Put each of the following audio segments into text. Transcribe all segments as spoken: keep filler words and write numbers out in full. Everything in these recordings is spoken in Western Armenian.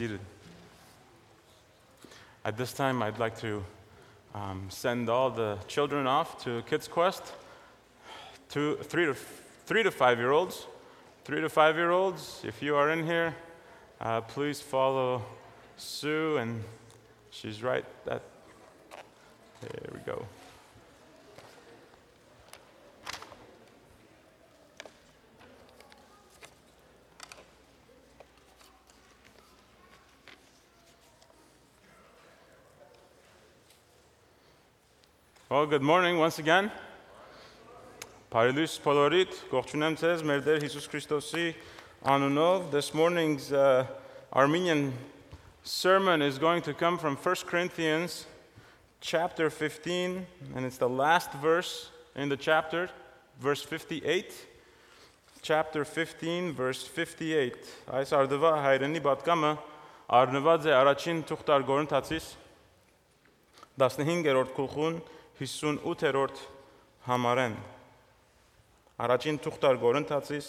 seated. At this time, I'd like to um, send all the children off to Kids Quest, two, three to three to five year olds. Three to five year olds, if you are in here, uh, please follow Sue, and she's right at. There we go. Well, good morning once again. Բարի լույս բոլորիդ, կողջունեմ ձեզ մեր Տեր Հիսուս Քրիստոսի անունով։ This morning's uh, Armenian sermon is going to come from First Corinthians chapter fifteen, and it's the last verse in the chapter, verse fifty-eight. Chapter fifteen, verse fifty-eight. Այս արդուայ հայրենի պատգամը առնուած է առաջին թուղթ Կորինթացիս տասնհինգերորդ գլխուն հիսունութերորդ համարէն։ Առաջին թուղթ Կորինթացիս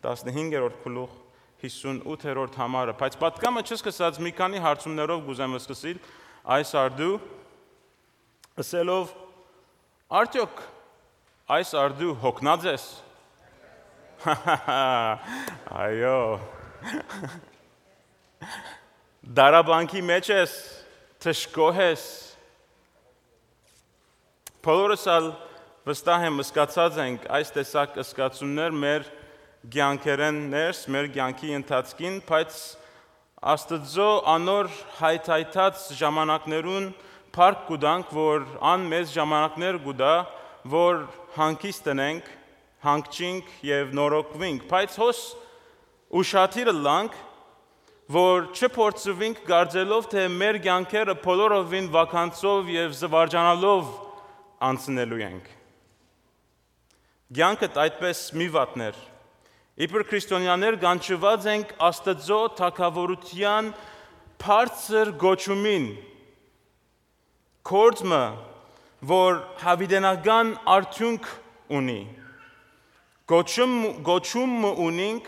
տասնհինգերորդ գլուխ հիսունութերորդ համարը։ Բայց պատգամը չսկսած մի քանի հարցումներով կ'ուզեմ սկսիլ այս արդու, ըսելով. «Արդեօք այս արդու հոգնած ես»։ Այո։ Դարաբանքի մեջ ես, դժգոհ ես։ Բոլորս ալ, վստահ եմ, զգացած ենք այս տեսակ զգացումներ մեր կեանքերէն ներս, մեր կեանքի ընթացքին, բայց Աստուծոյ անոր հայթայթած ժամանակներուն փառք կու տանք, որ ան մեզ ժամանակներ կու տայ, որ հանգիստ ընենք, հանգչինք եւ նորոգուինք, բայց հոս ուշադիր ըլլանք, որ չփորձուինք կարծելով, թէ մեր կեանքերը բոլորովին վականցով եւ զուարճանալով անցնելու ենք։ Կեանքդ այդպես մի վատներ։ Իբր քրիստոնեաներ կանչուած ենք Աստուծոյ թագաւորութեան բարձր կոչումին, գործ մը, որ յաւիտենական արդիւնք ունի, կոչում, կոչում մը ունինք,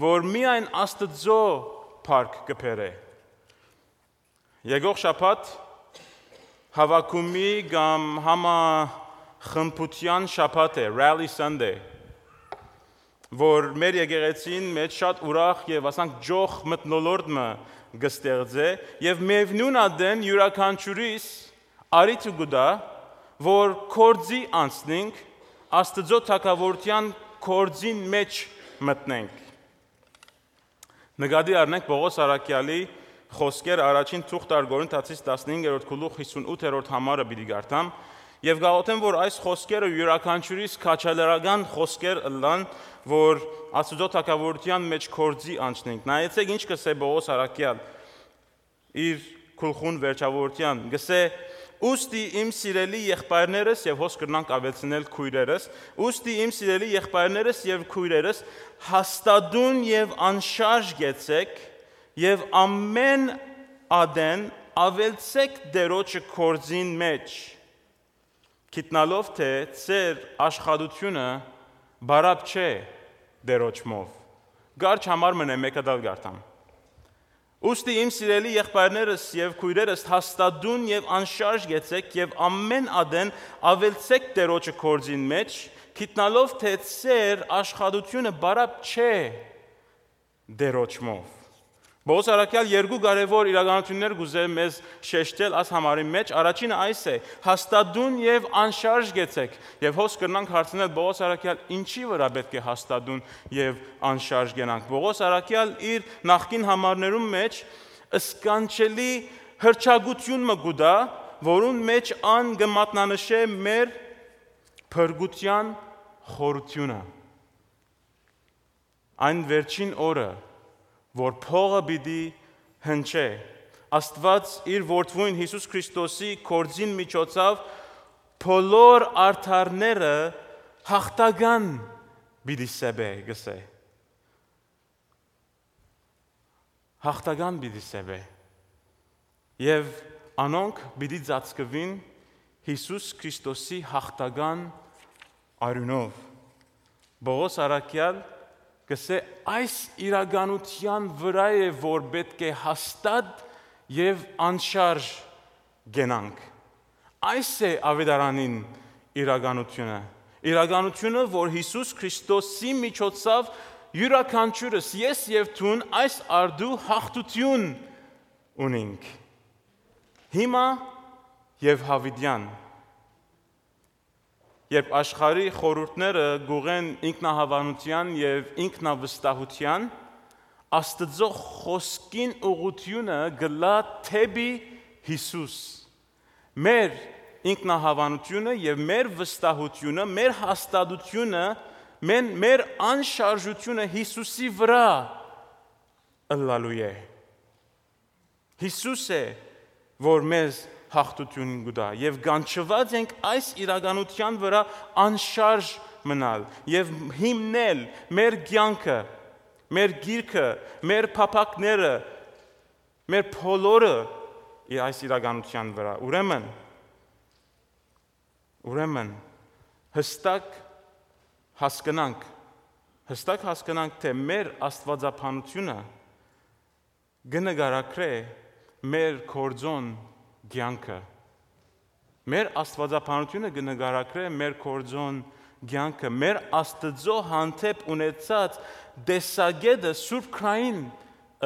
որ միայն Աստուծոյ փառք կը բերէ։ Եկող շաբաթ հաւաքումի կամ համախմբութեան շաբաթ է, Rally Sunday, որ մեր եկեղեցին մէջ շատ ուրախ եւ, ասանք, ճոխ մթնոլորտ մը կը ստեղծէ եւ միեւնոյն ատեն իւրաքանչիւրիս առիթը կու տայ, որ գործի անցնենք, Աստուծոյ թագաւորութեան գործին մէջ մտնենք։ Նկատի առնենք Պողոս առաքեալի խօսքերը առաջին թուղթ Կորինթացիս տասնհինգերորդ գլուխ հիսունութերորդ համարը պիտի կարդամ եւ կաղոթեմ, որ այս խօսքերը իւրաքանչիւրիս քաջալերական խօսքեր ըլլան, որ Աստուծոյ թագաւորութեան մէջ գործի անցնենք։ Նայեցէք ինչ կ'ըսէ Պողոս առաքեալ իր գլխուն վերջաւորութեան, կ'ըսէ. «Ուստի իմ սիրելի եղբայրներս», եւ հոս կրնանք աւելցնել՝ քոյրերս, «ուստի իմ սիրելի եղբայրներս եւ քոյրերս, հաստատուն եւ անշարժ գեցեք եւ ամէն ատեն աւելցեք Տէրոջը գործին մէջ, գիտնալով թէ ձեր աշխատութիւնը պարապ չէ Տէրոջմով»։ Կարճ համար մըն է, մէկը ալ կարդամ. «Ուստի իմ սիրելի եղբայրներս եւ քոյրերս, հաստատուն եւ անշարժ գեցեք եւ ամէն ատեն աւելցեք Տէրոջը գործին մէջ, գիտնալով թէ ձեր աշխատութիւնը պարապ չէ Տէրոջմով»։ Պողոս առաքեալ երկու կարեւոր իրականութիւններ կ'ուզէ մեզ շեշտել այս համարին մէջ։ Առաջինը այս է. «Հաստատուն եւ անշարժ գեցեք»։ Եւ հոս կրնանք հարցնել Պողոս առաքեալ ինչի վրայ պէտք է հաստատուն եւ անշարժ գնանք։ Պողոս առաքեալ իր նախկին համարներուն մէջ սքանչելի հրճակութիւն մը կու տայ, որուն մէջ ան կը մատնանշէ մեր փրկութեան խորութիւնը։ Այն վերջին օրը, որ փողը պիտի հնչէ, Աստուած իր որդւոյն Յիսուս Քրիստոսի գործին միջոցաւ բոլոր արդարները յաղթական պիտի սեպէ, կ'ըսէ։ Յաղթական պիտի սեպէ։ Եւ անոնք պիտի ծածկուին Յիսուս Քրիստոսի յաղթական արիւնով։ Պողոս առաքեալ Կսէ, այս իրականութեան վրայ է, որ պէտք է հաստատ եւ անշարժ կենանք։ Այս է աւետարանին իրականութիւնը։ Իրականութիւնը, որ Յիսուս Քրիստոսի միջոցաւ իւրաքանչիւրս, ես եւ դուն, այս արդու հաղթութիւն ունինք։ Հիմա եւ յաւիտեան։ Երբ աշխարհի խորհուրդները գուղեն ինքնահաւանութեան եւ ինքնավստահութեան, Աստուծոյ խօսքին ուղղութիւնը գլայ դէպի Յիսուս։ Մեր ինքնահաւանութիւնը եւ մեր վստահութիւնը, մեր հաստատութիւնը, մեն, մեր անշարժութիւնը Յիսուսի վրայ ըլլալու է։ Յիսուս է, որ մեզ հաղթութիւն կու տայ, եւ կանչուած ենք այս իրականութեան վրայ անշարժ մնալ եւ հիմնել մեր կեանքը, մեր գիրքը, մեր փափաքները, մեր բոլորը այս իրականութեան վրայ։ Ուրեմն, ուրեմն, հստակ հասկնանք, հստակ հասկնանք, թէ մեր աստուածաբանությունը կը նկարագրէ մեր գործոն կեանքը։ Մեր աստուածաբանությունը կը նկարագրէ մեր գործոն կեանքը, մեր Աստուծոյ հանդէպ ունեցած տեսակէտը սուրբ քրային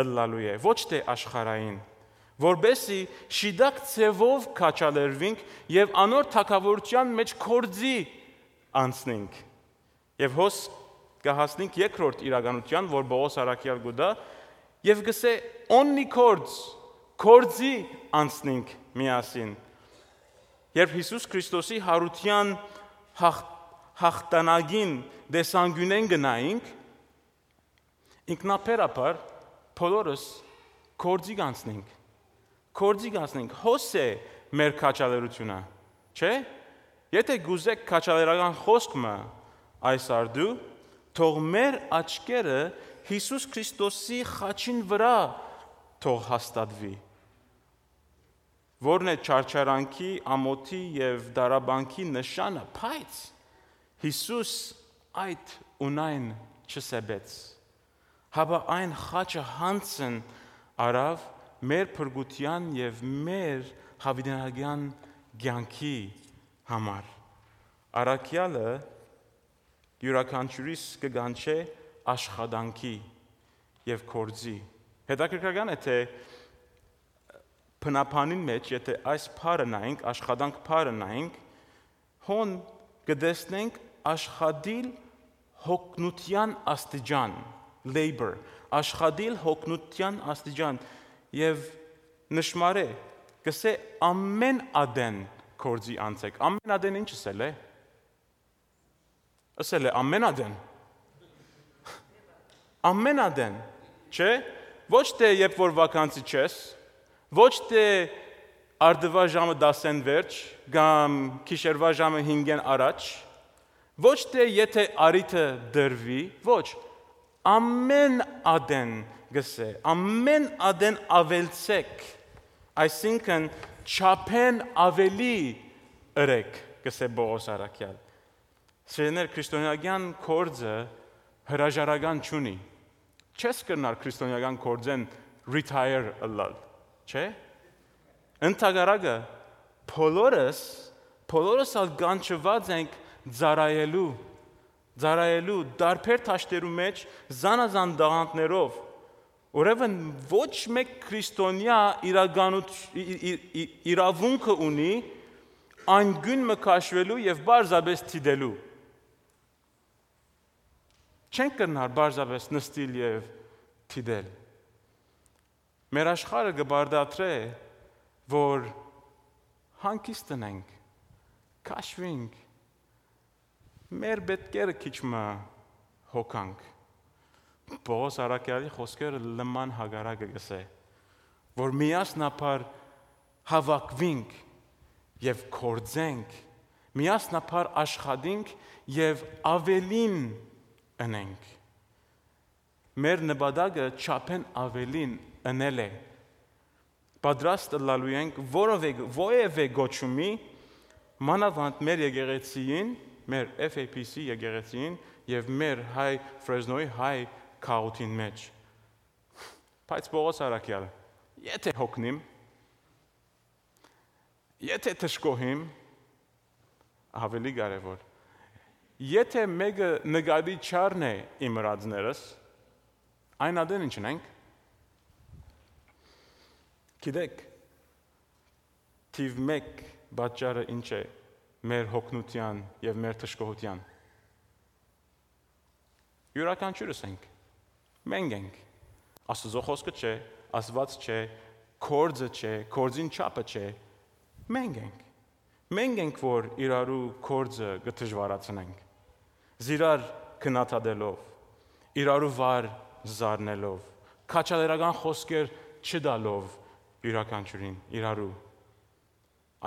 ըլլալու է, ոչ թէ աշխարհային, որպէսզի շիտակ ձեւով քաջալերուինք եւ անոր թագաւորութեան մէջ գործի անցնենք։ Եւ հոս կը հասնենք երկրորդ իրականութեան, որ Պողոս առաքեալ կու տայ, եւ կսէ, «Only գործ, գործի անցնենք միասին»։ Երբ Յիսուս Քրիստոսի յարութեան հաղ-, յաղթանակին տեսանկիւնէն կը նայինք, ինքնաբերաբար բոլորս գործի կանցնենք։ Գործի կանցնենք։ Հոս է մեր քաջալերութիւնը, չէ՞։ Եթէ կ'ուզէք քաջալերական խօսք մը այս արդու, թող մեր աչքերը Յիսուս Քրիստոսի խաչին վրայ թող հաստատուի, որն է չարչարանքի, ամօթի եւ դարաբանքի նշանը, բայց Յիսուս այդ ու նայն չսեպեց, հապա այն խաչը յանձն առաւ մեր փրկութեան եւ մեր յաւիտենական կեանքի համար։ Առաքեալը իւրաքանչիւրիս կը կանչէ աշխատանքի եւ գործի։ Հետաքրքրական է, թէ բնաբանին մէջ, եթէ այս բառը նայենք, աշխատանք բառը նայենք, հոն կը տեսնենք աշխատիլ յոգնութեան աստիճան, labor, աշխատիլ յոգնութեան աստիճան, եւ նշմարէ, կսէ, «Ամէն ատեն գործի անցէք»։ Ամէն ատեն ի՞նչ ըսել է։ Ըսել է, «Ամէն ատեն»։ Ամէն ատեն, չէ՞։ Ոչ թէ երբ որ վականցի չես, ոչ թէ արդուայ ժամը տասեն վերջ կամ գիշերուայ ժամը հինգէն առաջ, ոչ թէ եթէ առիթը տրուի, ոչ, «Ամէն ատեն», կսէ, «ամէն ատեն աւելցէք», այսինքն չափէն աւելի ըրեք, կսէ Պողոս առաքեալ։ Սիրելիներ, քրիստոնեական գործը հրաժարական չունի։ Չես կրնար քրիստոնեական գործէն retire ըլլալ, չէ՞։ Ընդհակառակը, բոլորս, բոլորս ալ կանչուած ենք ծառայելու, ծառայելու տարբեր դաշտերու մէջ, զանազան տաղանդներով։ Ուրեմն ոչ մէկ քրիստոնեայ իրականութ-, ի-, ի-, ի-, իրաւունքը ունի անգիւն մը քաշուելու եւ պարզապէս դիտելու։ Չենք կրնար պարզապէս նստիլ եւ դիտել։ Մեր աշխարհը կը պարտադրէ, որ հանգիստ ընենք, քաշուինք, մեր պէտքերը քիչ մը հոգանք։ Պողոս առաքյալի խօսքերը լման հակառակը կսէ, որ միասնաբար հաւաքուինք եւ գործենք, միասնաբար աշխատինք եւ աւելին ընենք։ Մեր նպատակը չափէն աւելին ընել է։ Պատրաստ ըլլալու ենք որովէ, որևէ կոչումի, մանաւանդ մեր եկեղեցիին, մեր F A P C եկեղեցիին եւ մեր հայ Ֆրեզնոյի հայ քաղաքին մէջ։ Բայց Պողոս Արաքեալ, եթե հոգնիմ, եթե դժգոհիմ, ավելի կարեւոր, եթե մեկը նկատի չառնէ իմ ըրածներս, այն ատեն ինչ ընենք։ Գիտեք, թիվ մէկ պատճառը ինչ է մեր հոգնութեան եւ մեր դժգոհութեան։ Իւրաքանչիւրս ենք։ Մենք ենք։ Աստուծոյ խօսքը չէ, Աստուած չէ, գործը չէ, գործին չափը չէ։ Մենք ենք։ Մենք ենք, որ իրարու գործը կը դժուարացնենք, զիրար քննադատելով, իրարու վար զարնելով, քաջալերական խօսքեր չտալով իւրաքանչիւրին իրարու։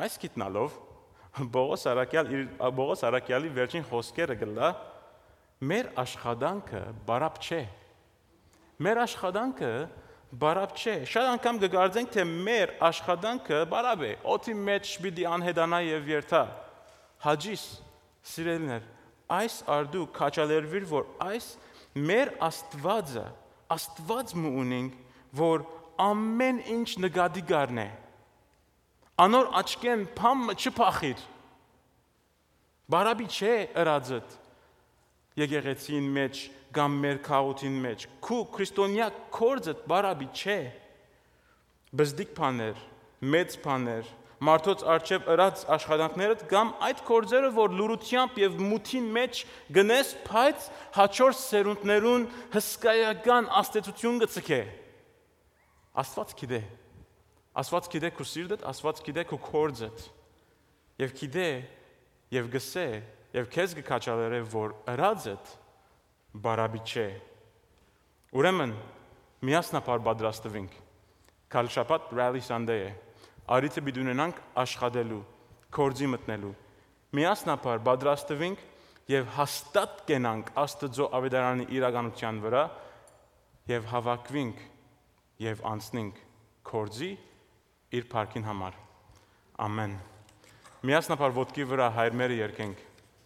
Այս գիտնալով, Պողոս Արաքեալ իր, Պողոս Արաքեալի վերջին խօսքերը կ'ըլլայ. «Մեր աշխատանքը բարապ չէ»։ Մեր աշխատանքը բարապ չէ։ Շատ անգամ կը կարծենք, թէ մեր աշխատանքը բարապ է։ Օդի մէջ պիտի անհետանայ եւ երթայ։ Հաճիս, սիրելիներ, այս արդու քաջալերուիր, որ այս մեր Աստուածը, Աստուած մը ունենք, որ ամեն ինչ նկատի կ'առնէ։ Անոր աչքէն բան մը չփախիր։ Բարապի չէ ըրածդ եկեղեցին մէջ կամ մեր քաղաքին մէջ։ Քու քրիստոնեայ գործդ բարապի չէ։ Բզդիկ բաներ, մեծ բաներ, մարդոց առջեւ ըրած աշխատանքներդ կամ այդ գործերը, որ լուրությամբ եւ մութին մէջ գնես, բայց հաջորդ սերունդներուն հսկայական ազդեցություն կը ցկէ։ Աստուած գիտէ։ Աստուած գիտէ քու սիրտդ, Աստուած գիտէ քու գործդ։ Եւ գիտէ, եւ գսէ, եւ քեզ կը քաջալերէ, որ ըրածդ բարապի չէ։ Ուրեմն, միասնաբար պատրաստուինք։ Գալ շաբաթ Rally Sunday է։ Առիթը պիտի ունենանք աշխատելու, գործի մտնելու։ Միասնաբար պատրաստուինք եւ հաստատ կենանք Աստուծոյ աւետարանի իրականութեան վրայ եւ հաւաքուինք եւ անցնենք գործի իր փառքին համար։ Ամեն։ Միասնաբար ոտքի վրայ հայր մերը երգենք։